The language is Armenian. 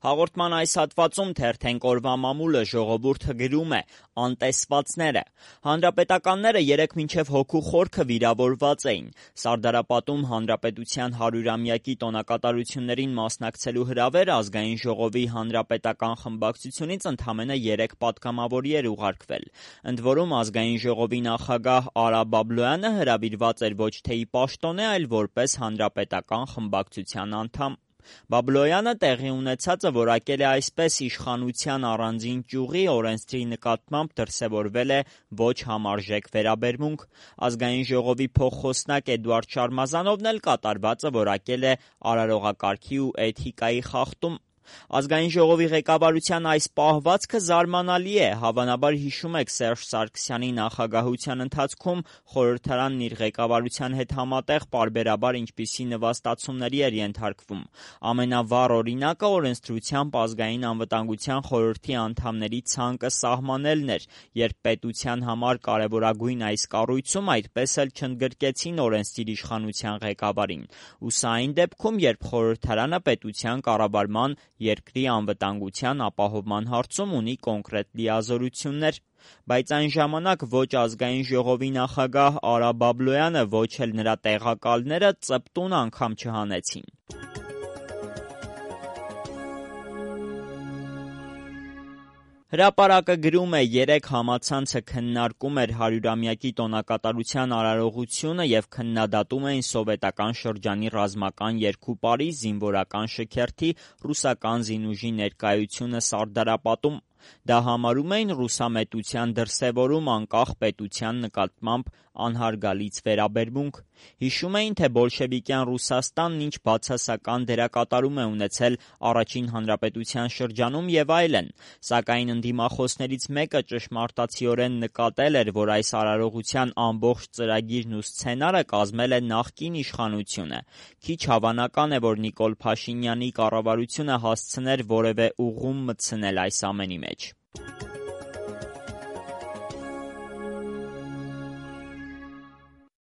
Հաղորդման այս հատվածում թերթենք օրվա մամուլը ժողովուրդը գրում է անտեսվածները։ Հանրապետականները երեկ մինչև հոգու խորքը վիրավորված էին։ Սարդարապատում հանրապետության 100-ամյակի տոնակատարություններին մասնակցելու հրավեր ազգային ժողովի հանրապետական խմբակցությունից ընդամենը 3 պատգամավորի էր ուղարկվել։ Ընդ որում ազգային ժողովի նախագահ Արա Բաբլոյանը հրավիրված էր ոչ թե ի պաշտոնե, այլ որպես հանրապետական խմբակցության անդամ։ Բաբլոյանը տեղի ունեցածը որակել է այսպես. իշխանության առանձին ճյուղի օրենսդրի նկատմամբ դրսևորվել է ոչ համարժեք վերաբերմունք։ Ազգային ժողովի փոխխոսնակ Էդուարդ Շարմազանովն էլ կատարվածը որակել է արարողակարգի ու էթիկայի խախտում։ Ազգային ժողովի ղեկավարության այս պահվածքը զարմանալի է։ Հավանաբար հիշում եք Սերժ Սարգսյանի նախագահության ընթացքում խորհրդարանն իր ղեկավարության հետ համատեղ պարբերաբար ինչպիսի նվաստացումների էր ենթարկվում։ Ամենավառ օրինակը օրենսդրությամբ ազգային անվտանգության խորհրդի անդամների ցանկը սահմանելն էր, երբ պետության համար կարևորագույն այս կառույցում այդպես էլ չընդգրկեցին օրենսդիր իշխանության ղեկավարին։ Ու սա այն դեպքում, երբ խորհրդարանը պետության կառավարման, երկրի անվտանգության ապահովման հարցում ունի կոնկրետ լիազորություններ։ Բայց այն ժամանակ ոչ ազգային ժողովի նախագահ Արա Բաբլոյանը, ոչ էլ նրա տեղակալները ծպտուն անգամ չհանեցին։ Հրապարակը գրում է. երեկ համացանցը քննարկում էր 100-ամյակի տոնակատարության արարողությունը և քննադատում էին սովետական շրջանի ռազմական երկու պարի զինվորական շքերթի ռուսական զինուժի ներկայությունը Սարդարապատում։ Դա համարում էին ռուսամետության դրսևորում անկախ պետության նկատմամբ անհարգալից վերաբերմունք։ Հիշում էին, թե բոլշևիկյան Ռուսաստանն ինչ բացասական դերակատարում է ունեցել առաջին հանրապետության շրջանում և այլն։ Սակայն ընդդիմախոսներից մեկը ճշմարտացիորեն նկատել էր, որ այս արարողության ամբողջ ծրագիրն ու սցենարը կազմել է նախկին իշխանությունը։ Քիչ հավանական է, որ Նիկոլ Փաշինյանի կառավարությունը հասցներ որևէ ուղղում մտցնել այս ամենի մեջ։